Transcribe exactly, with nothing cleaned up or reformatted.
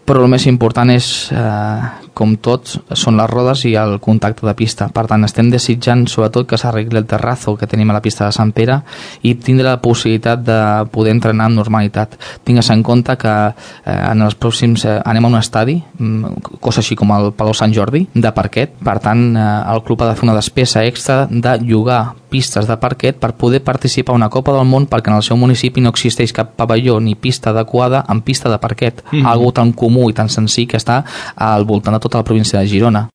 però el més important és, eh, com tots, són les rodes i el contacte de pista. Per tant, estem desitjant sobretot que s'arregli el terrazzo que tenim a la pista de Sant Pere i tindre la possibilitat de poder entrenar amb normalitat. Tingues en compte que eh, en els pròxims eh, anem a un estadi, cosa així com el Palau Sant Jordi, de parquet. Per tant, eh, el club ha de fer una despesa extra de llogar pistes de parquet per poder participar a una Copa del Món, perquè en el seu municipi no existeix cap pavelló ni pista adequada amb pista de parquet, mm-hmm. algo tan comú i tan senzill que està al voltant de tota la província de Girona.